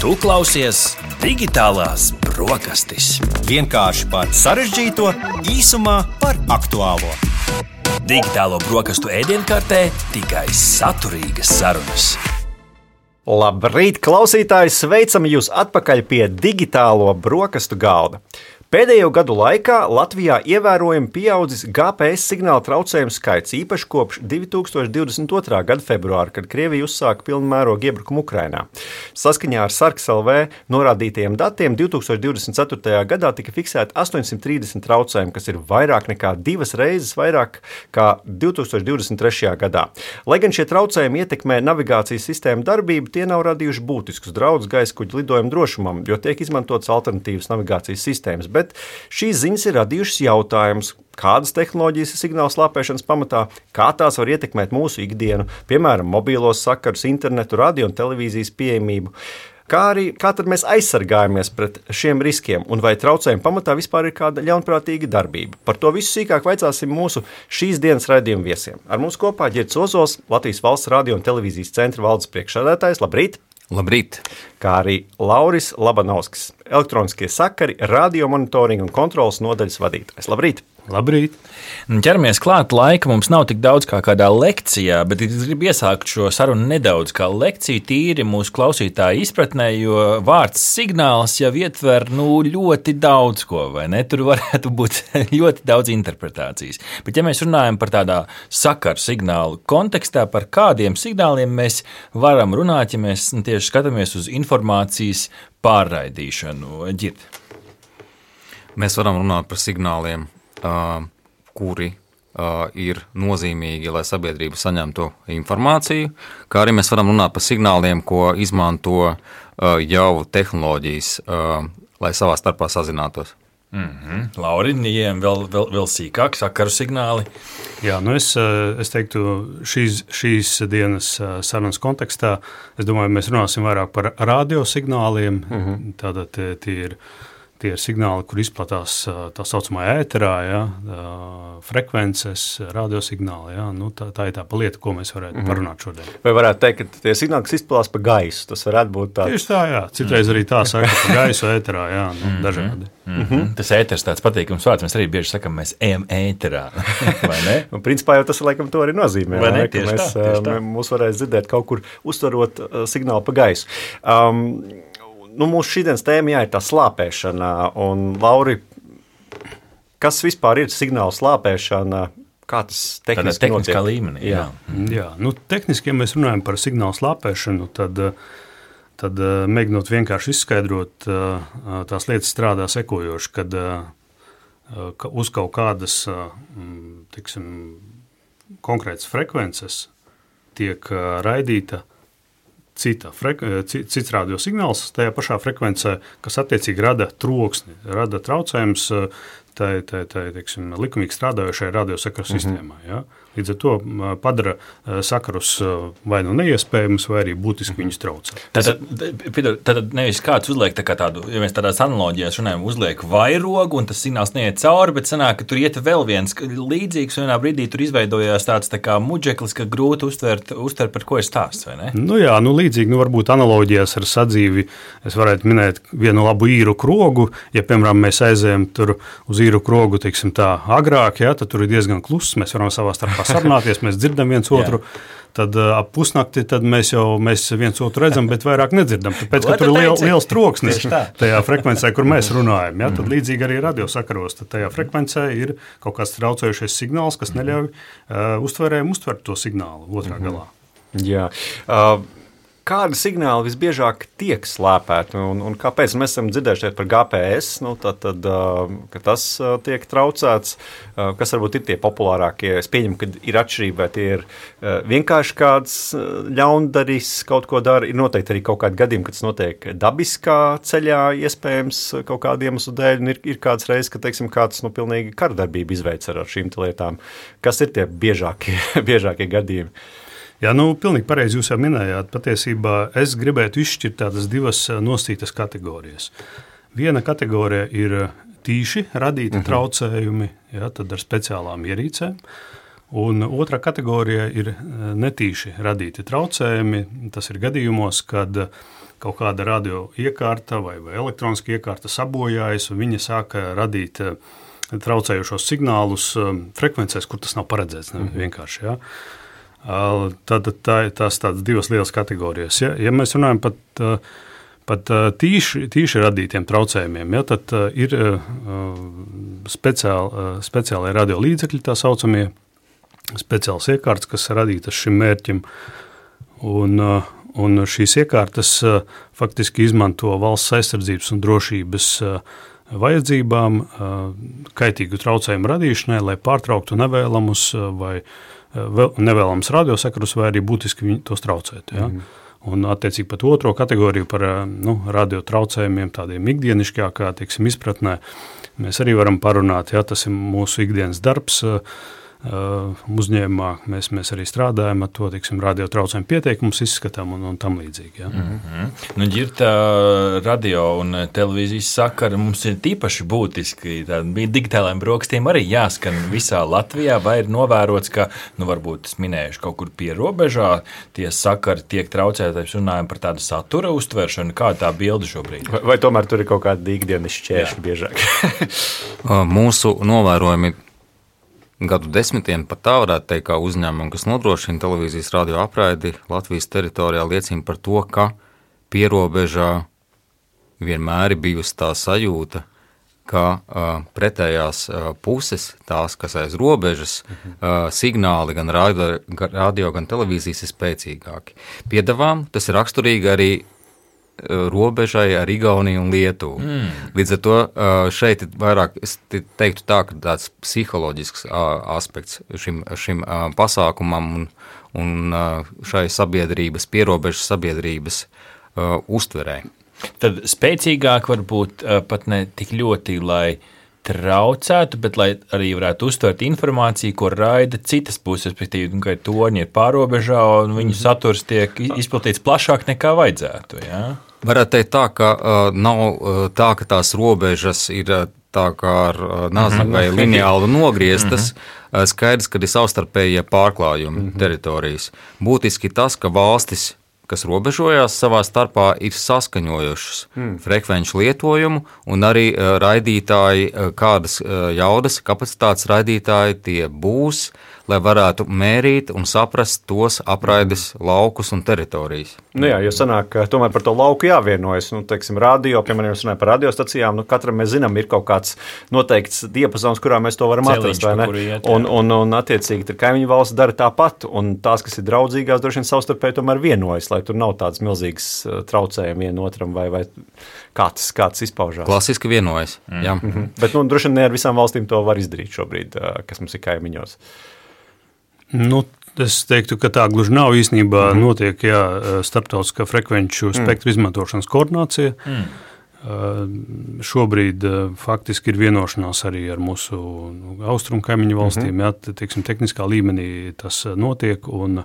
Tu klausies Digitālās brokastis. Vienkārši par sarežģīto, īsumā par aktuālo. Digitālo brokastu ēdienkartē tikai saturīgas sarunas. Labrīt, klausītāji! Sveicam jūs atpakaļ pie digitālo brokastu galda. Pēdējo gadu laikā Latvijā ievērojami pieaudzis GPS signāla traucējumu skaits, īpaši kopš 2022. gada februāra, kad Krievija uzsāka pilnu mērogu iebrukumu Ukrainā. Saskaņā ar Sarks.lv norādītajiem datiem 2024. gadā tika fiksēti 830 traucējumi, kas ir vairāk nekā 2 reizes vairāk kā 2023. gadā. Lai gan šie traucējumi ietekmē navigācijas sistēmu darbību, tie nav radījuši būtiskus draudus gaiskuģu lidojumu drošumam, jo tiek izmantotas alternatīvas navigācijas sistēmas. Bet šīs ziņas ir radījušas jautājumus, kādas tehnoloģijas ir signāla slāpēšanas pamatā, kā tās var ietekmēt mūsu ikdienu, piemēram, mobilos sakarus, internetu, radio un televīzijas pieejamību. Kā tad mēs aizsargājamies pret šiem riskiem, un vai traucējuma pamatā vispār ir kāda ļaunprātīga darbība? Par to visu sīkāk vaicāsim mūsu šīs dienas raidījuma viesiem. Ar mums kopā Ģirds Ozols, Latvijas Valsts radio un televīzijas centra valdes priekšsēdētājs. Labrīt! Labrīt! Kā arī Lauris Labanovskis, elektroniskie sakari, radio monitoringa un kontrolas nodaļas vadītājs. Labrīt! Labrīt! Ķeramies klāt, laika mums nav tik daudz kā kādā lekcijā, bet es gribu iesākt šo sarunu nedaudz kā lekciju tīri mūsu klausītāju izpratnē, jo vārds signāls jau ietver ļoti daudz ko, vai ne? Tur varētu būt ļoti daudz interpretācijas. Bet ja mēs runājam par tādā sakaru signālu kontekstā, par kādiem signāliem mēs varam runāt, ja mēs tieši skatāmies uz informācijas pārraidīšanu. Ģird. Mēs varam runāt par signāliem, kuri ir nozīmīgi, lai sabiedrība saņemtu informāciju, kā arī mēs varam runāt par signāliem, ko izmanto jau tehnoloģijas, lai savā starpā sazinātos. Lauri, ejam vēl sīkāk, sakaru signāli. Jā, es teiktu, šīs dienas sarunas kontekstā, es domāju, mēs runāsim vairāk par radiosignāliem, tātad tie ir signāli, kur izplatās tā saucamā ēterā, frekvences, radiosignāli. Tā ir tā lieta, ko mēs varētu parunāt šodien. Vai varētu teikt, ka tie signāli, kas izplatās pa gaisu, tas varētu būt tāds? Tieši tā, jā. Citreiz arī tā saka, pa gaisu ēterā, dažādi. Tas ēters tāds patīkams vārds, mēs arī bieži sakam, mēs ejam ēterā, vai ne? Principā jau tas laikam to arī nozīmē, vai ne? Ka mēs mūs varēs dzirdēt kaut kur uztverot signālu pa gaisu. Mūsu šīdienas tēma ir tā slāpēšana, un Lauri, kas vispār ir signāla slāpēšana, kā tas tehniski notiek? Tehniskā līmenī, jā. Tehniski, ja mēs runājam par signāla slāpēšanu, tad mēģinot vienkārši izskaidrot, tās lietas strādā sekojoši, kad uz kaut kādas, konkrētas frekvences tiek raidīta cits radiosignāls tajā pašā frekvencē, kas attiecīgi rada troksni, rada traucējums likumīgi strādājošai radiosakaru sistēmai. Ja? Līdz ar to padara sakarus vai neiespējamus, vai arī būtiski viņus traucē. Tad nevis kāds uzliek tādu, ja mēs tādās analoģijās runājam, uzliek vairogu, un tas signāls neiet cauri, bet sanāk, ka tur iet vēl viens līdzīgs, un vienā brīdī tur izveidojās tāds tā kā muģeklis, ka grūti uztvert, par ko ir stāsts, vai ne? Līdzīgi, varbūt analoģijās ar sadzīvi es varētu minēt vienu labu īru krogu, ja, piemēram, mēs aizējam tur uz īru krogu, tā agrāk, tad tur ir diezgan kluss, mēs varam savā starpā sarunāties, mēs dzirdam viens otru, tad ap pusnakti tad mēs viens otru redzam, bet vairāk nedzirdam, tāpēc, ka tur ir liels troksnis tajā frekvencē, kur mēs runājam. Tad līdzīgi arī radiosakaros, tad tajā frekvencē ir kaut kāds traucējušais signāls, kas neļauj uztverējiem uztvert to signālu otrā galā. Jā. Kādi signāli visbiežāk tiek slēpēti un kāpēc? Mēs esam dzirdējuši par GPS, ka tas tiek traucēts. Kas varbūt ir tie populārākie? Es pieņemu, ka ir atšķirība, vai tie ir vienkārši kāds ļaundaris kaut ko dara. Ir noteikti arī kaut kādi gadījumi, kad tas notiek dabiskā ceļā, iespējams kaut kādiem iemeslu dēļ. Un ir kāds reizes, ka kāds pilnīgi kardarbību izveic ar šīm lietām. Kas ir tie biežākie gadījumi? Jā, pilnīgi pareizi jūs jau minējāt. Patiesībā es gribētu izšķirt tādas divas nosītas kategorijas. Viena kategorija ir tīši radīti traucējumi, tad ar speciālām ierīcēm. Un otrā kategorija ir netīši radīti traucējumi. Tas ir gadījumos, kad kaut kāda radio iekārta vai elektroniska iekārta sabojājas, un viņa sāka radīt traucējošos signālus frekvencēs, kur tas nav paredzēts vienkārši. Ja? Tad tās tādas divas lielas kategorijas. Ja mēs runājam pat tīši radītiem traucējumiem, ja, tad ir speciālai radio līdzekļi, tā saucamie speciāls iekārtas, kas radītas šim mērķim, un šīs iekārtas faktiski izmanto valsts aizsardzības un drošības vajadzībām, kaitīgu traucējumu radīšanai, lai pārtrauktu nevēlamus vai nevēlams radiosakarus, vai arī būtiski tos traucētu. Ja? Un attiecīgi pat otro kategoriju par radio traucējumiem, tādiem ikdienišķākā, teiksim, izpratnē, mēs arī varam parunāt, ja tas ir mūsu ikdienas darbs, uzņēmumā mēs arī strādājam ar to, teiksim, radio traucējumu pieteikumus izskatām un tam līdzīgi. Ja. Nu, ģirta radio un televīzijas sakara mums ir tīpaši būtiski. Digitālajiem brokastīm arī jāskan visā Latvijā, vai ir novērots, ka, varbūt es minējuši kaut kur pie robežā, tie sakari tiek traucēti, runājam par tādu satura uztveršanu, kā tā bilde šobrīd? Vai tomēr tur ir kaut kādi ikdienas šķēršļi biežāk? Mūsu novērojumi gadu desmitiem pat tā varētu teikt, kā uzņēmumi, kas nodrošina televīzijas radio apraidi Latvijas teritorijā, liecina par to, ka pierobežā vienmēr ir bijusi tā sajūta, ka pretējās puses, tās, kas aiz robežas, signāli gan radio, gan televīzijas ir spēcīgāki. Piedevām tas ir raksturīgi arī robežai ar Igauniju un Lietuvu. Līdz ar to šeit ir vairāk, es teiktu tā, ka tāds psiholoģisks aspekts šim pasākumam un šai sabiedrības, pierobežas sabiedrības uztverē. Tad spēcīgāk varbūt pat ne tik ļoti, lai traucētu, bet lai arī varētu uztvert informāciju, ko raida citas puses, respektīvi, ka toņi ir pārobežā un viņu saturs tiek izplatīts plašāk nekā vajadzētu. Ja? Varētu teikt tā, ka nav tā, ka tās robežas ir tā kā ar nazi vai lineāli nogrieztas, skaidrs, ka ir savstarpējie pārklājumi teritorijas. Būtiski tas, ka valstis, kas robežojās savā starpā, ir saskaņojušas frekvenču lietojumu un arī raidītāji, kādas jaudas kapacitātes raidītāji tie būs, lai varētu mērīt un saprast tos apraides laukus un teritorijas. Nu jā, jo sanāk, ka tomēr par to lauku jāvienojas. Teiksim, radio, piemēram, runājot par radiostacijām, katram mēs zinām, ir kaut kāds noteikts diapazons, kurā mēs to varam atrast, vai ne? Un attiecīgi, tad kaimiņu valsts dara tāpat, un tās, kas ir draudzīgās, droši vien savstarpēji tomēr vienojas, lai tur nav tādas milzīgas traucējumi vienotram, vai kāds izpaužās. Klasiski vienojas, jā. Bet, droši vien ne ar visām valstīm to var izdarīt šobrīd, kas mums ir kaimiņos. Es teiktu, ka tā gluži nav īstenībā notiek starptautiskā frekvenču spektru izmantošanas koordinācija. Šobrīd faktiski ir vienošanās arī ar mūsu austrumu kaimiņu valstīm. Teiksim, tehniskā līmenī tas notiek, un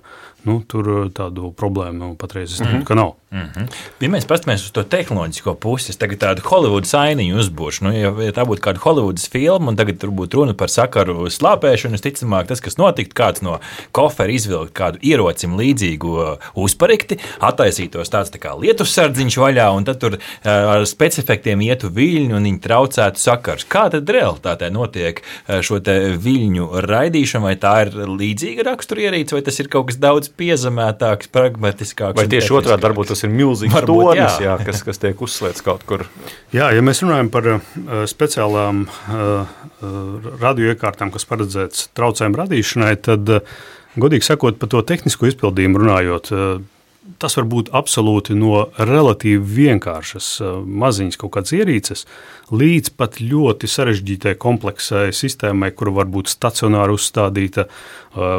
tur tādu problēmu patreiz es teiktu, ka nav. Ja mēs paskatāmies uz to tehnoloģisko pusi, tagad tādu Hollywoodas ainiņu uzbūšu. Ja tā būtu kāda Hollywoodas filma, un tagad tur būtu runa par sakaru slāpēšanu, ticamāk, tas, kas notiktu, kāds no kofera izvilkt kādu ierocim līdzīgu uzparikti, attaisītos tāds tā kā lietussardziņš vaļā, un tad tur ar specifektiem ietu viļņu, un viņi traucētu sakars. Kā tad realitātē notiek šo te viļņu raidīšana, vai tā ir līdzīga raksturierīce, vai tas ir kaut kas daudz piezemētāks, pragmatiskāks? Vai tieši otrādi varbūt tas ir milzīgs tornis, kas tiek uzslēgts kaut kur? Jā, ja mēs runājam par speciālām radioiekārtām, kas paredzēts traucējumu radīšanai, tad, godīgi sakot, par to tehnisko izpildījumu runājot, tas var būt absolūti no relatīvi vienkāršas maziņas kaut kādas ierīces līdz pat ļoti sarežģītai kompleksai sistēmai, kura var būt stacionāri uzstādīta,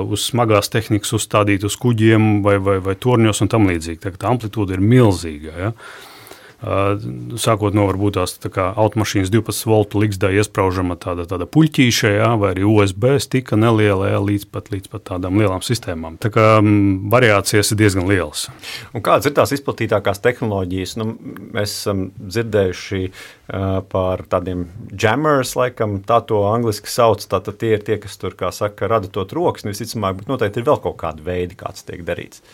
uz smagās tehnikas uzstādīta uz kuģiem vai torņos un tam līdzīgi. Tā amplitūda ir milzīga. Ja? Sākot no varbūt tās tā kā automašīnas 12 voltu liksdā iespraužama tāda puļķīša, vai arī USB stika neliela, līdz pat tādām lielām sistēmām. Tā kā variācijas ir diezgan lielas. Un kādas ir tās izplatītākās tehnoloģijas? Mēs esam dzirdējuši par tādiem jammers, laikam, tā to angliski sauc, tātad tie ir tie, kas tur, kā saka, rada to troksni, visticamāk, bet noteikti ir vēl kaut kādi veidi, kāds tiek darīts.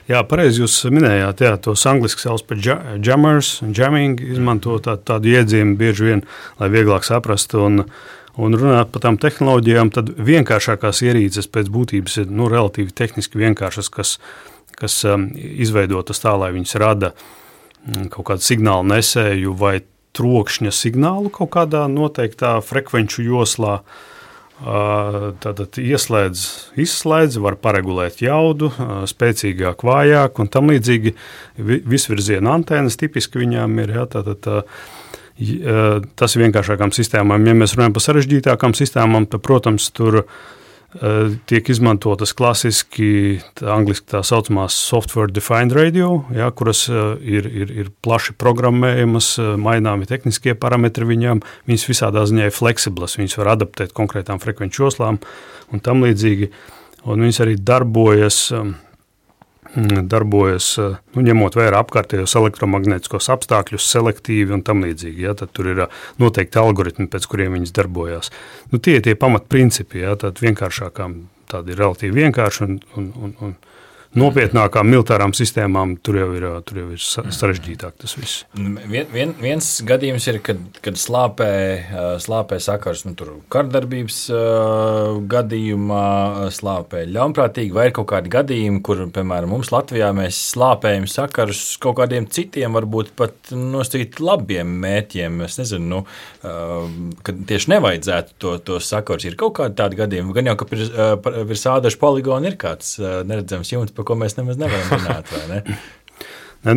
Jā, pareizi jūs minējāt, tos angliski sauc par jammers, jamming, izmanto tādu iedzienu bieži vien, lai vieglāk saprastu un runāt par tām tehnoloģijām, tad vienkāršākās ierīces pēc būtības ir relatīvi tehniski vienkāršas, kas izveidotas tā, lai viņas rada kaut kādu signālu nesēju vai trokšņa signālu kaut kādā noteiktā frekvenču joslā. Tātad izslēdz, var paregulēt jaudu, spēcīgāk, vājāk un tam līdzīgi visvirziena antenas tipiski viņām ir. Tas ir vienkāršākām sistēmām. Ja mēs runājam par sarežģītākām sistēmām, tad, protams, tur tiek izmantotas klasiski angliski tā saucamās software defined radio, kuras ir plaši programmējamas, maināmi tehniskie parametri viņām, viņas visādā ziņā ir fleksiblas, viņas var adaptēt konkrētām frekvenču joslām un tam līdzīgi, un viņas arī darbojas ņemot vērā apkārtējos elektromagnētiskos apstākļus, selektīvi un tam līdzīgi. Tad tur ir noteikti algoritmi, pēc kuriem viņas darbojās. Tie ir tie pamatprincipi, tad vienkāršākām tādi ir relatīvi vienkārši un nopietnākām militārām sistēmām tur jau ir sarežģītāk tas viss. Viens gadījums ir, kad slāpē sakars tur kardarbības gadījumā, slāpē ļaunprātīgi, vai ir kaut kādi gadījumi, kur, piemēram, mums Latvijā mēs slāpējam sakarus kaut kādiem citiem, varbūt pat nosacīt labiem mērķiem. Es nezinu, kad tieši nevajadzētu tos sakarus. Ir kaut kādi tādi gadījumi, gan jau, ka virs ādažu poligona ir kāds neredzams jumts, par ko mēs nemaz nevaram runāt, vai ne?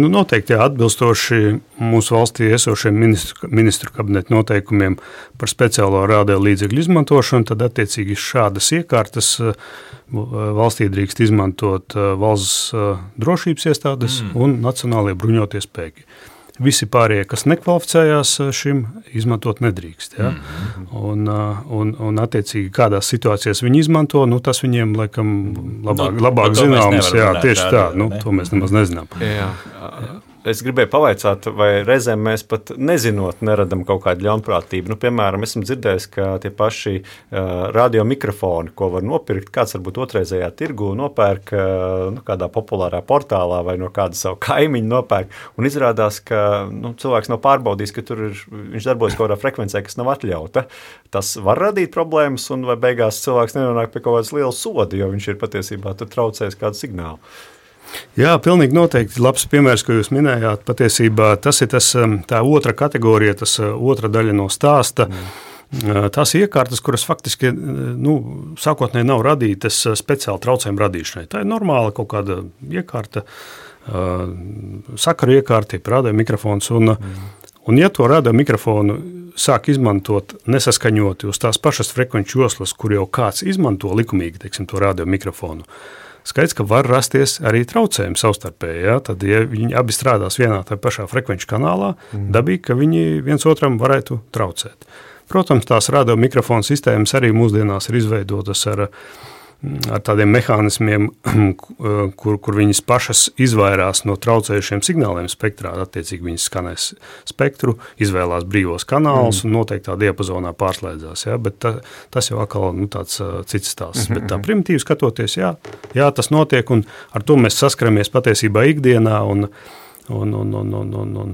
Noteikti atbilstoši mūsu valstī esošiem ministru kabineta noteikumiem par speciālo radiolīdzekļu izmantošanu, tad attiecīgi šādas iekārtas valstī drīkst izmantot valsts drošības iestādes un nacionālie bruņotie spēki. Visi pārējie, kas nekvalificējās šim, izmantot nedrīkst. Ja? Un attiecīgi, kādās situācijās viņi izmanto, tas viņiem, laikam, labāk zināms. Jā, tieši tā, to mēs nemaz nezinām. Jā. Es gribēju pavaicāt, vai reizēm mēs pat nezinot neradam kaut kādu ļaunprātību. Piemēram, esam dzirdējis, ka tie paši radiomikrofoni, ko var nopirkt, kāds varbūt otrreizējā tirgu nopērk kādā populārā portālā vai no kāda savu kaimiņu nopērk, un izrādās, ka cilvēks nav pārbaudījis, ka tur viņš darbojas kaut kādā frekvencē, kas nav atļauta. Tas var radīt problēmas, un vai beigās cilvēks nenonāk pie kaut kādas lielas soda, jo viņš ir patiesībā tur traucējis kādu signālu. Jā, pilnīgi noteikti labs piemērs, ko jūs minējāt. Patiesībā tas ir tā otra kategorija, tas otra daļa no stāsta. Tās iekārtas, kuras faktiski sākotnēji nav radītas speciāli traucējumu radīšanai. Tā ir normāla kaut kāda iekārta, sakaru iekārta, radiomikrofons. Un ja to radiomikrofonu sāk izmantot nesaskaņoti uz tās pašas frekvenču joslas, kur jau kāds izmanto likumīgi, teiksim, to radiomikrofonu, skaidrs, ka var rasties arī traucējumi savstarpēji. Ja? Tad, ja viņi abi strādās vienā tā pašā frekvenču kanālā, dabīgi, ka viņi viens otram varētu traucēt. Protams, tās radiomikrofonu sistēmas arī mūsdienās ir izveidotas ar tādiem mehānismiem, kur viņas pašas izvairās no traucējušiem signāliem spektrā. Attiecīgi viņas skanēs spektru, izvēlās brīvos kanālus un noteiktā diapazonā pārslēdzās. Ja? Bet tas jau atkal tāds cits stāsts. Bet tā primitīvi skatoties, jā, tas notiek, un ar to mēs saskaramies patiesībā ikdienā, un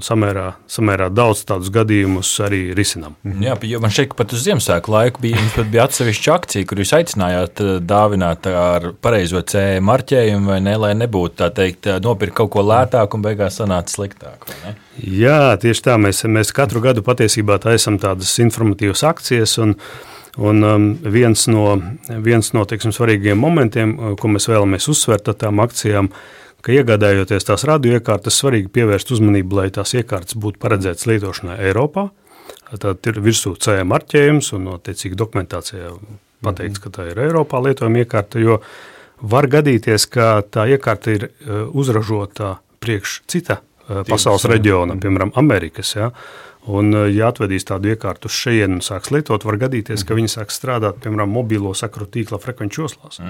samērā daudz tādus gadījumus arī risinām. Jā, jo man šeit pat uz Ziemassvētku laiku bija atsevišķa akcija, kur jūs aicinājāt dāvināt ar pareizo CE marķējumu, vai ne, lai nebūtu, tā teikt, nopirkt kaut ko lētāk un beigās sanāca sliktāk, vai ne? Jā, tieši tā, mēs katru gadu patiesībā taisam tādas informatīvas akcijas, un viens no teiksim, svarīgiem momentiem, ko mēs vēlamies uzsvērt ar tām akcijām, ka iegādājoties tās radioiekārtas, svarīgi pievērst uzmanību, lai tās iekārtas būtu paredzētas lietošanai Eiropā. Tad ir virsū CE marķējums un attiecīgi dokumentācijā pateikts, ka tā ir Eiropā lietojama iekārta, jo var gadīties, ka tā iekārta ir uzražota priekš cita pasaules reģiona, piemēram, Amerikas. Ja? Un, ja atvedīs tādu iekārtu uz šejienu un sāks lietot, var gadīties, ka viņi sāks strādāt, piemēram, mobilo sakaru tīkla frekvenču joslās.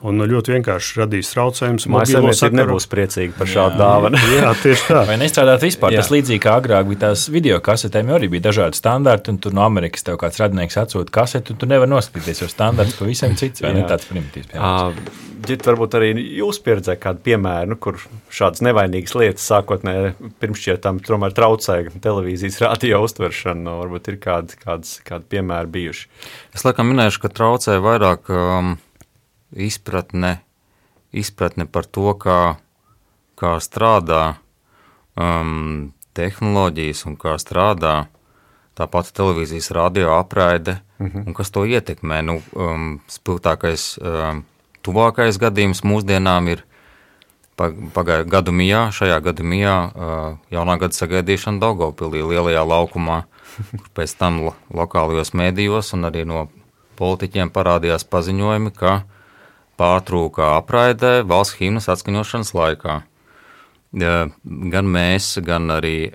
Un ļoti vienkārši radīs traucējumus. Mājasemniecība nebūs priecīga par šādu dāvanu. Jā, tieši tā. Vai nestrādāt vispār? Tas līdzīgi kā agrāk bija tās video kasetēm, jo arī bija dažādi standarti, un tur no Amerikas tev kāds radinieks atsūta kasetu, un tu nevar noskatīties, jo standarts pavisam cits, vai ne tāds primitīvs. Ģirt, varbūt arī jūs pieredzē kādu piemēru, kur šādas nevainīgas lietas sākotnēji pirmšķietām tomēr traucē televīzijas radio uztveršanu, varbūt ir kādi piemēri bijuši. Es laikam minēšu, ka traucē vairāk izpratne par to, kā strādā tehnoloģijas un kā strādā tā pati televīzijas radio apraide un kas to ietekmē. Spilgtākais tuvākais gadījums mūsdienām ir šajā gadu mijā jaunā gada sagaidīšana Daugavpilī lielajā laukumā, kur pēc tam lokālajos mēdījos un arī no politiķiem parādījās paziņojumi, ka pārtrūka apraidē valsts himnas atskaņošanas laikā. Gan mēs, gan arī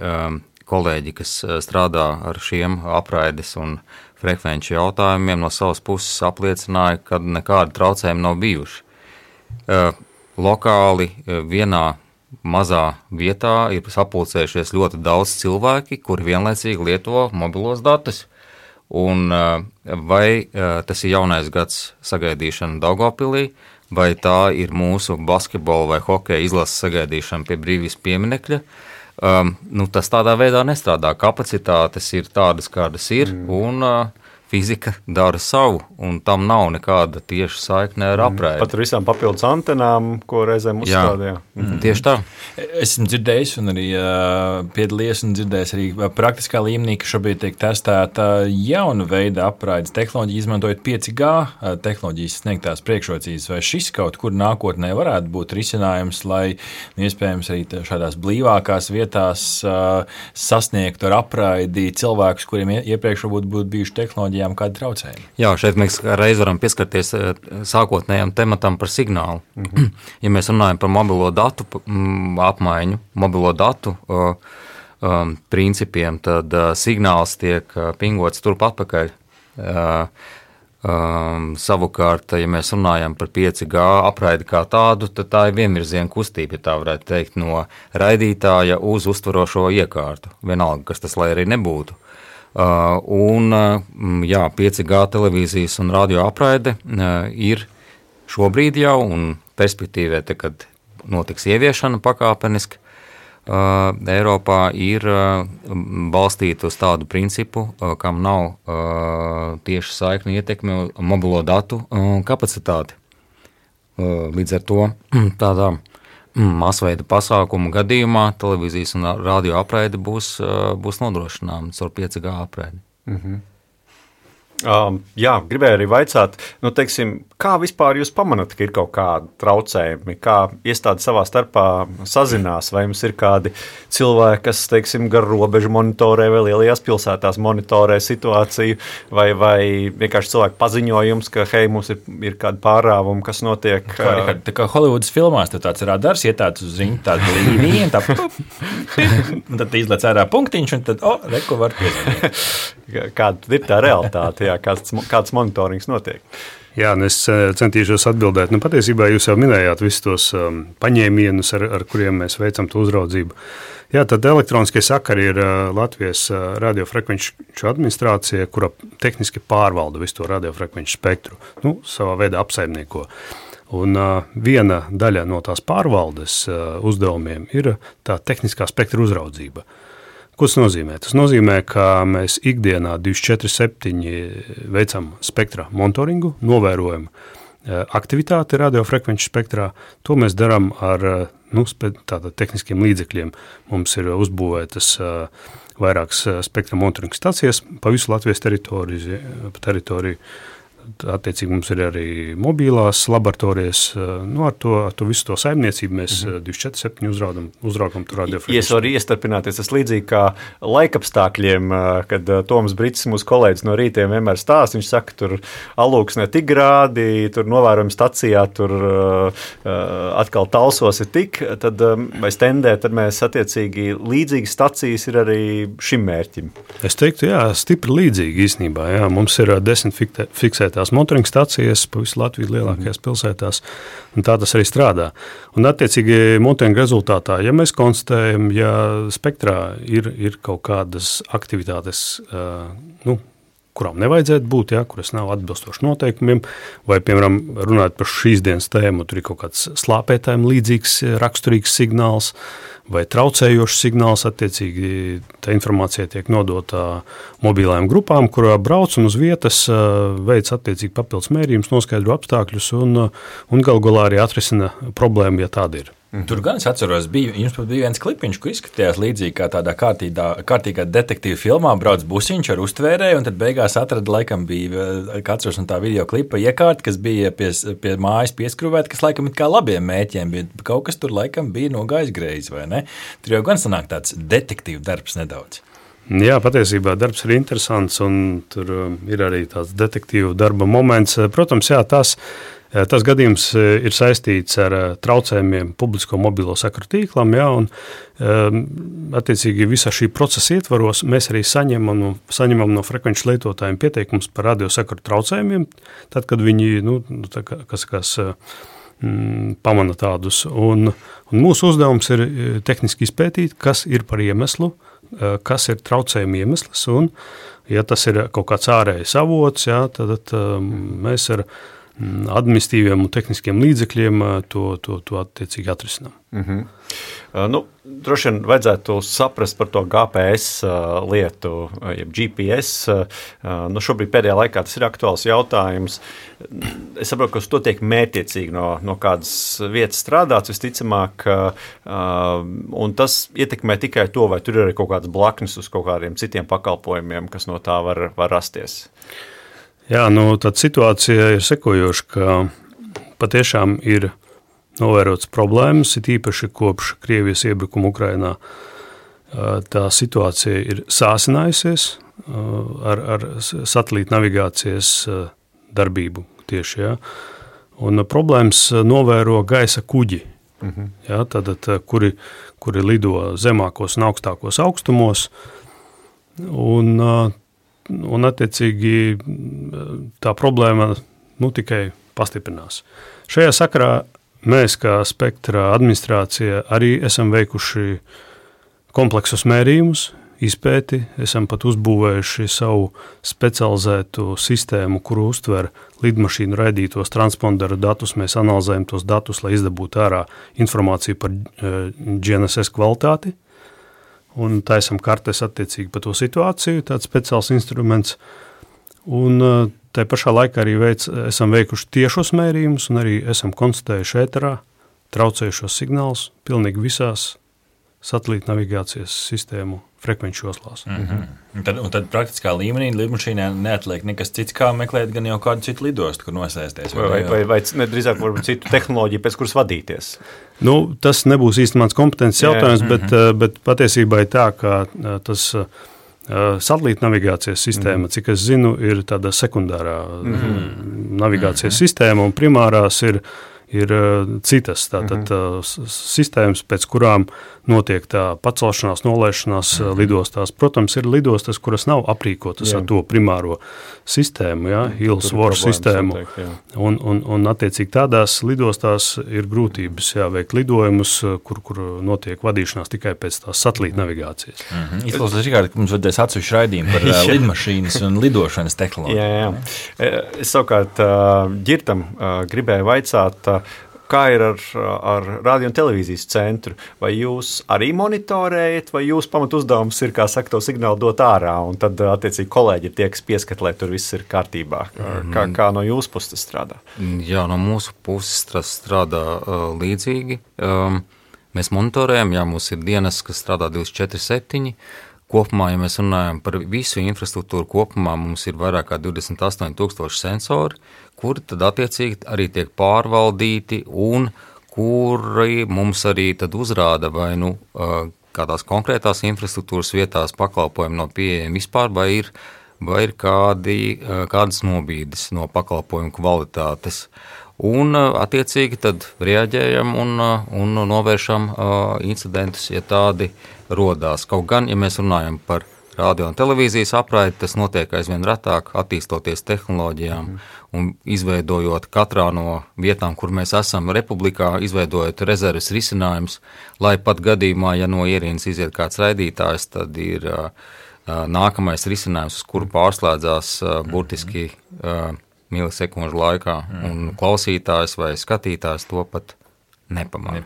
kolēģi, kas strādā ar šiem apraides un frekvenču jautājumiem, no savas puses apliecināja, ka nekādi traucējumi nav bijuši. Lokāli vienā mazā vietā ir sapulcējušies ļoti daudz cilvēki, kuri vienlaicīgi lieto mobilos datus. Un vai tas ir jaunais gads sagaidīšana Daugavpilī, vai tā ir mūsu basketbola vai hokeja izlases sagaidīšana pie Brīvības pieminekļa, tas tādā veidā nestrādā. Kapacitātes ir tādas, kādas ir, un fizika dara savu, un tam nav nekāda tieša saikne ar apraidi. Pat ar visām papildus antenām, ko reizēm uzstādījā. Tieši tā. Esmu dzirdējis un arī piedalījies un dzirdējis arī praktiskā līmenī, ka šobrīd tiek testēta jauna veida apraides tehnoloģija, izmantojot 5G tehnoloģijas sniegtās priekšrocības. Vai šis kaut kur nākotnē varētu būt risinājums, lai iespējams arī šādās blīvākās vietās sasniegtu ar apraidi cilvēkus, kuriem iepriekš varbūt būtu bijuši tehnoloģijām kādi traucējumi? Jā, šeit mēs reiz varam pieskarties sākotnējam tematam par signālu. Ja mēs runājam par mobilo datu apmaiņu, mobilo datu principiem, tad signāls tiek pingots turp atpakaļ. Savukārt, ja mēs runājam par 5G apraidi kā tādu, tad tā ir vienvirziena kustība, ja tā varētu teikt, no raidītāja uz uztverošo iekārtu. Vienalga, kas tas lai arī nebūtu. 5G televīzijas un radio apraide ir šobrīd jau un perspektīvē, kad notiks ieviešana pakāpeniski, Eiropā ir balstīta uz tādu principu, kam nav tieši saikni ietekmi mobilo datu kapacitāti. Līdz ar to tādā masveida pasākumu gadījumā televīzijas un radio apraide būs nodrošināma caur 5G apraidi. Gribēju arī vaicāt, kā vispār jūs pamanāt, ka ir kaut kādi traucējumi, kā iestādi savā starpā sazinās, vai jums ir kādi cilvēki, kas, gar robežu monitorē vai lielajās pilsētās monitorē situāciju, vai vienkārši cilvēku paziņojums, ka, hei, mums ir kādi pārāvumi, kas notiek. Tā kā Holivudas filmās, tad tāds radars iet uz ziņu, tāda līnija, un tad izlec ārā punktiņš, un tad, reku var piezvanīt. Kāda ir tā realitāte, kāds monitorings notiek? Jā, es centīšos atbildēt. Patiesībā jūs jau minējāt visus tos paņēmienus, ar kuriem mēs veicam to uzraudzību. Jā, tad elektroniskie sakari ir Latvijas radiofrekvenču administrācija, kura tehniski pārvalda visu to radiofrekvenču spektru. Savā veidā apsaimnieko. Un viena daļa no tās pārvaldes uzdevumiem ir tā tehniskā spektra uzraudzība. Ko tas nozīmē? Tas nozīmē, ka mēs ikdienā 24/7 veicam spektra monitoringu, novērojam aktivitāti radiofrekvenču spektrā. To mēs darām ar tehniskiem līdzekļiem. Mums ir uzbūvētas vairākas spektra monitoringa stacijas pa visu Latvijas teritoriju. attiecīgi mums ir arī mobilās laboratorijas. Ar to visu to saimniecību mēs 24/7 uzraugam tur radiofrekvenci. Ja es varu iestarpināties, tas līdzīgi kā laikapstākļiem, kad Toms Brits, mūsu kolēģis no rītiem, vienmēr stāsta, viņš saka, tur alūksnē tik grādi, tur novērojam stacijā, tur atkal talsos ir tik, tad vai stendē, tad mēs attiecīgi līdzīgas stacijas ir arī šim mērķim. Es teiktu, jā, stipri līdzīgi īstenībā, jā, mums ir 10 fiksētās monitoringa stacijas pa visu Latviju lielākajās pilsētās, un tā tas arī strādā. Un attiecīgi monitoringa rezultātā, ja mēs konstatējam, ja spektrā ir kaut kādas aktivitātes, kurām nevajadzētu būt, kuras nav atbilstoši noteikumiem, vai, piemēram, runājot par šīs dienas tēmu, tur ir kaut kāds slāpētājiem līdzīgs raksturīgs signāls, vai traucējošs signāls, attiecīgi tā informācija tiek nodota mobilajām grupām, kurā brauc un uz vietas veic attiecīgi papildus mērījumus, noskaidro apstākļus un galu galā arī atrisina problēmu, ja tāda ir. Tur gan es atceros, jums pat bija viens klipiņš, kur izskatījās līdzīgi kā tādā kārtīgā detektīva filmā, brauc busiņš ar uztvērēju, un tad beigās atrada, laikam bija katrs no tā video klipa iekārta, kas bija pie mājas pieskrūvēta, kas laikam it kā labiem mēķiem, bet kaut kas tur laikam bija nogājis greizi, vai ne? Tur jau gan sanāk tāds detektīva darbs nedaudz. Jā, patiesībā darbs ir interesants, un tur ir arī tāds detektīva darba moments. Protams, jā, tas gadījums ir saistīts ar traucējumiem publisko mobilo sakaru tīklam, jā, un attiecīgi visā šī procesa ietvaros mēs arī saņemam no frekvenču lietotājiem pieteikums par radiosakaru traucējumiem, tad, kad viņi, pamana tādus, un mūsu uzdevums ir tehniski izpētīt, kas ir par iemeslu, kas ir traucējuma iemesls, un ja tas ir kaut kāds ārējais avots, jā, tad mēs ar administratīviem un tehniskiem līdzekļiem to attiecīgi atrisinām. Droši vien vajadzētu saprast par to GPS lietu, jeb GPS. Šobrīd pēdējā laikā tas ir aktuāls jautājums. Es saprotu, ka uz to tiek mērķiecīgi no kādas vietas strādāts visticamāk, un tas ietekmē tikai to, vai tur ir arī kaut kāds blaknes uz kaut kādiem citiem pakalpojumiem, kas no tā var rasties. Jā, tad situācija ir sekojoša, ka patiešām ir novērotas problēmas, it īpaši kopš Krievijas iebrukuma Ukrainā. Tā situācija ir sāsinājusies ar satelīta navigācijas darbību tieši, jā. Un problēmas novēro gaisa kuģi, jā, tātad, kuri lido zemākos un augstākos augstumos, un attiecīgi tā problēma tikai pastiprinās. Šajā sakarā mēs, kā Spektra administrācija, arī esam veikuši kompleksus mērījumus, izpēti, esam pat uzbūvējuši savu specializētu sistēmu, kuru uztver lidmašīnu raidītos transponderu datus. Mēs analizējam tos datus, lai izdabūtu ārā informāciju par GNSS kvalitāti. Un taisam kartes attiecīgi par to situāciju, tāds speciāls instruments. Un tai pašā laikā arī esam veikuši tiešos mērījumus un arī esam konstatējuši ēterā traucējušos signālus pilnīgi visās satelīta navigācijas sistēmu frekvenču joslās. Un tad praktiskā līmenī lidmašīnā neatliek nekas cits, kā meklēt gan jau kādu citu lidostu, kur nosēsties. Vai drīzāk varbūt citu tehnoloģiju, pēc kuras vadīties? Tas nebūs īsti mans kompetences jautājums, bet patiesībā ir tā, ka tas satelīta navigācijas sistēma, cik es zinu, ir tāda sekundārā navigācijas sistēma, un primārās ir citas tātad sistēmas, pēc kurām notiek tā pacelšanās, nolaišanās lidostās. Protams, ir lidostas, kuras nav aprīkotas ar to primāro sistēmu, Hills-Wars sistēmu, un attiecīgi tādās lidostās ir grūtības veikt lidojumus, kur notiek vadīšanās tikai pēc tās satelīta navigācijas. Izklausās, Rikārd, ka mums vajadzēs atsevišķu raidījumu par lidmašīnas un lidošanas tehnoloģiju. Jā. Es savukārt Ģirtam gribēju vaicāt, kā ir ar radio un televīzijas centru? Vai jūs arī monitorējat, vai jūsu pamat uzdevums ir, kā saka, to signālu dot ārā, un tad, attiecīgi, kolēģi ir tie, kas pieskat, lai tur viss ir kārtībā? Kā no jūsu puses tas strādā? Jā, no mūsu puses tas strādā līdzīgi. Mēs monitorējam, mums ir dienas, kas strādā 24/7, kopumā, ja mēs runājam par visu infrastruktūru kopumā, mums ir vairāk kā 28,000 sensori, kuri tad attiecīgi arī tiek pārvaldīti un kuri mums arī tad uzrāda vai kādās konkrētās infrastruktūras vietās pakalpojumi nav pieejami vispār, vai ir kādas nobīdes no pakalpojumu kvalitātes. Un attiecīgi tad reaģējam un novēršam incidentus, ja tādi rodās. Kaut gan, ja mēs runājam par radio un televīzijas apraidi, tas notiek aizvien retāk, attīstoties tehnoloģijām un izveidojot katrā no vietām, kur mēs esam republikā, izveidojot rezerves risinājumus, lai pat gadījumā, ja no ierīnas iziet kāds raidītājs, tad ir nākamais risinājums, uz kuru pārslēdzās burtiski milisekundžu laikā, un klausītājs vai skatītājs to pat nepamanā.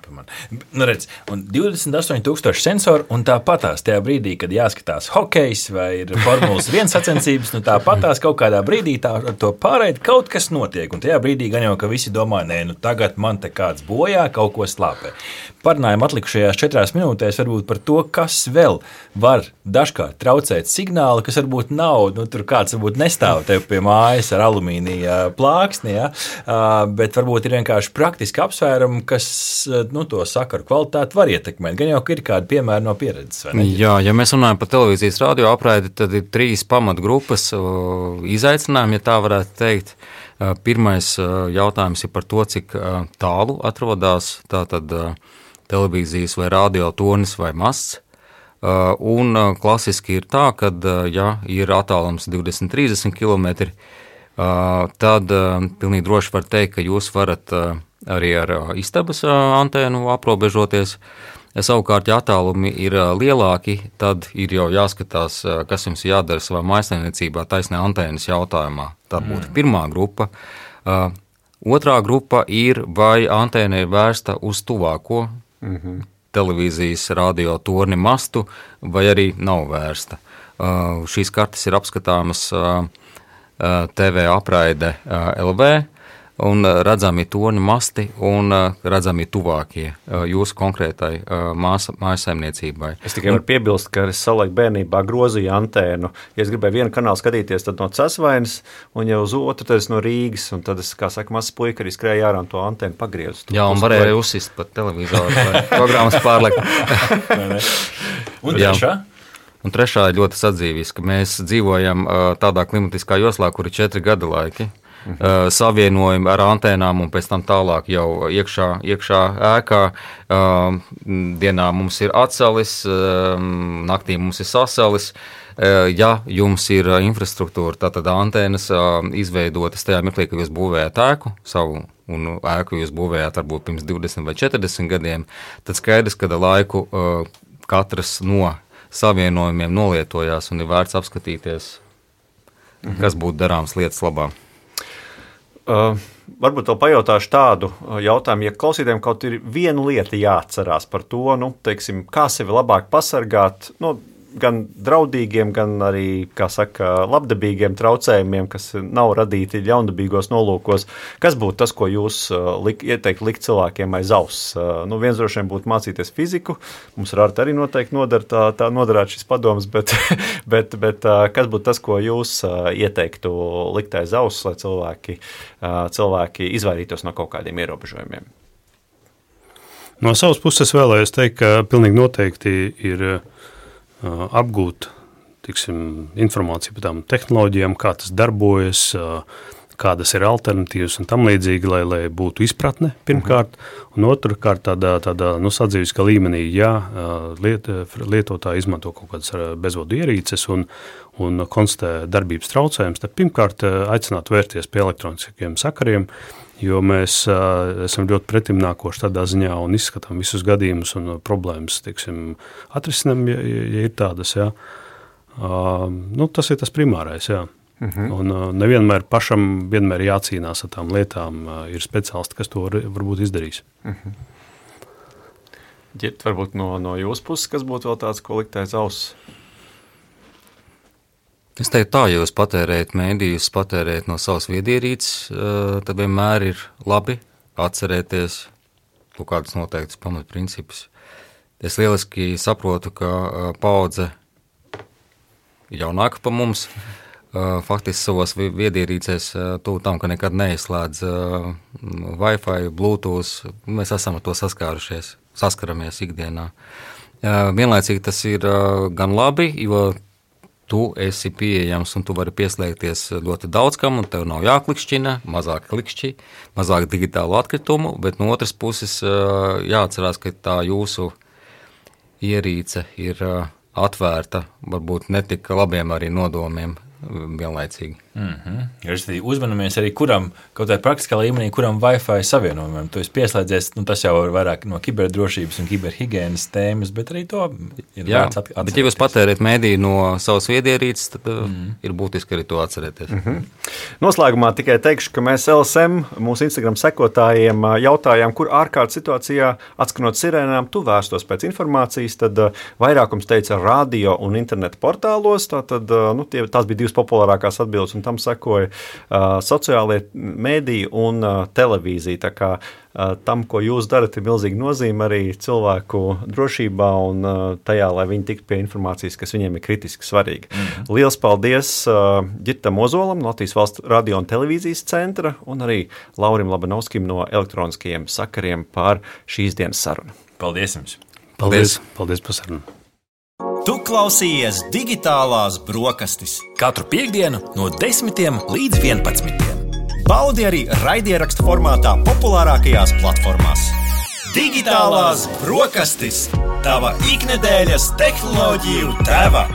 Nu redz, un 28,000 sensoru, un tāpatās tajā brīdī, kad jāskatās hokejs vai ir Formulas 1 sacensības, nu tāpatās kaut kādā brīdī tā ar to pārēdi kaut kas notiek, un tajā brīdī gan jau, ka visi domā, nē, nu tagad man te kāds bojā, kaut ko slāpē. Parunājam atlikušajās 4 minūtēs varbūt par to, kas vēl var dažkārt traucēt signālu, kas varbūt nav, nu tur kāds varbūt nestāv tev pie mājas ar alumīnija plāksni, ja? Bet varbūt ir vienkārši praktiski apsvērumi, kas to sakaru kvalitāti var ietekmēt. Gan jau, ka ir kādi piemēri no pieredzes, vai ne? Jā, ja mēs runājam par televīzijas radio apraidi, tad ir 3 pamatgrupas izaicinājumi, ja tā varētu teikt. Pirmais jautājums ir par to, cik tālu atrodas tātad televīzijas vai radio tornis vai masts. Un klasiski ir tā, ka, ja ir attālums 20-30 km, tad pilnīgi droši var teikt, ka jūs varat arī ar istabas antēnu aprobežoties. Savukārt, ja attālumi ir lielāki, tad ir jau jāskatās, kas jums jādara savā mājsaimniecībā taisnē antēnas jautājumā. Tā būtu pirmā grupa. Otrā grupa ir, vai antēna ir vērsta uz tuvāko televīzijas radio torni mastu, vai arī nav vērsta. Šīs kartes ir apskatāmas TV apraide LV, un redzami torni masti un redzami tuvākie jūsu konkrētai mājsaimniecībai. Es tikai varu piebilst, ka es savulaik bērnībā grozīju antēnu. Ja es gribēju vienu kanālu skatīties, tad no Cesvainas, un ja uz otru, tad es no Rīgas, un tad es, kā saka, mazs puika arī skrēja ārā un to antēnu pagriezu. Jā, un varēja uzsist pat televizoru vai programmas pārlekt. Un trešā? Un trešā ir ļoti sadzīviska. Mēs dzīvojam tādā klimatiskā joslā, kur ir 4 gada laiki. Savienojumi ar antēnām un pēc tam tālāk jau iekšā ēkā. Dienā mums ir atsalis, naktī mums ir sasalis. Ja jums ir infrastruktūra, tātad antēnas izveidotas tajā mirklī, ka jūs būvējat ēku savu, un ēku jūs būvējāt varbūt pirms 20 vai 40 gadiem, tad skaidrs, ka laiku katrs no savienojumiem nolietojās un ir vērts apskatīties, kas būtu darāms lietas labā. Varbūt vēl pajautāšu tādu jautājumu, ja klausītājiem kaut ir viena lieta jāatcerās par to, teiksim, kā sevi labāk pasargāt, gan draudīgiem, gan arī, kā saka, labdabīgiem traucējumiem, kas nav radīti ļaundabīgos nolūkos. Kas būtu tas, ko jūs ieteikt likt cilvēkiem aiz auss? Viens droši vien būtu mācīties fiziku, mums ar Artu arī noteikti noderētu šis padoms, bet kas būtu tas, ko jūs ieteiktu likt aiz auss, lai cilvēki izvairītos no kaut kādiem ierobežojumiem? No savas puses vēlējos teikt, ka pilnīgi noteikti ir apgūt informāciju par tām tehnoloģijām, kā tas darbojas, kādas ir alternatīvas un tam līdzīgi, lai būtu izpratne pirmkārt, un otrkārt tādā sadzīviskā līmenī, ja lietotāji izmanto kaut kādas bezvadu ierīces un konstatē darbības traucējums, tad pirmkārt aicinātu vērties pie elektroniskiem sakariem, jo mēs esam ļoti pretimnākoši tādā ziņā un izskatām visus gadījumus un problēmas, atrisinām, ja ir tādas, jā. Tas ir tas primārais, jā. Un nevienmēr pašam vienmēr jācīnās ar tām lietām, ir speciālisti, kas to varbūt izdarīs. Ģirt, varbūt no jūsu puses, kas būtu vēl tāds, ko likt aiz auss? Es teiktu tā, ja jūs patērējat mēdījus, patērējat no savas viedierīces, tad vienmēr ir labi atcerēties kaut kādus noteiktus pamatprincipus. Es lieliski saprotu, ka paudze jaunāka par mums. Faktiski savos viedierīcēs tuvu tam, ka nekad neizslēdz Wi-Fi, Bluetooth. Mēs esam ar to saskaramies ikdienā. Vienlaicīgi tas ir gan labi, jo tu esi pieejams un tu vari pieslēgties ļoti daudz kam, un tev nav jāklikšķina, mazāk klikšķi, mazāk digitālu atkritumu, bet no otras puses jāatcerās, ka tā jūsu ierīce ir atvērta, varbūt netik labiem arī nodomiem vienlaicīgi. Uzmanamies arī, kuram, kaut vai praktiskā līmenī, kuram Wi-Fi savienojumam. Tu esi pieslēdzies, tas jau ir vairāk no kiberdrošības un kiberhigienas tēmas, bet arī to ir vērts atcerēties. Bet ja jūs patēriet mēdī no savas viedierīces, tad ir būtiski arī to atcerēties. Noslēgumā tikai teikšu, ka mēs LSM, mūsu Instagram sekotājiem, jautājām, kur ārkārtas situācijā, atskanot sirēnām, tu vērstos pēc informācijas, tad vairākums teica radio un interneta portālos, tās bija 2 populārākās atbildes, un tam sekoja sociālie mēdīji un televīzija. Tā kā tam, ko jūs darat, ir milzīga nozīme arī cilvēku drošībā un tajā, lai viņi tiktu pie informācijas, kas viņiem ir kritiski svarīga. Liels paldies Ģirtam Ozolam no Latvijas Valsts radio un televīzijas centra un arī Laurim Labanovskim no elektroniskajiem sakariem par šīs dienas sarunu. Paldies jums! Paldies par sarunu! Tu klausījies digitālās brokastis. Katru piektdienu no 10 līdz 11. Baudi arī raidierakstu formātā populārākajās platformās. Digitālās brokastis. Tava iknedēļas tehnoloģiju tēva.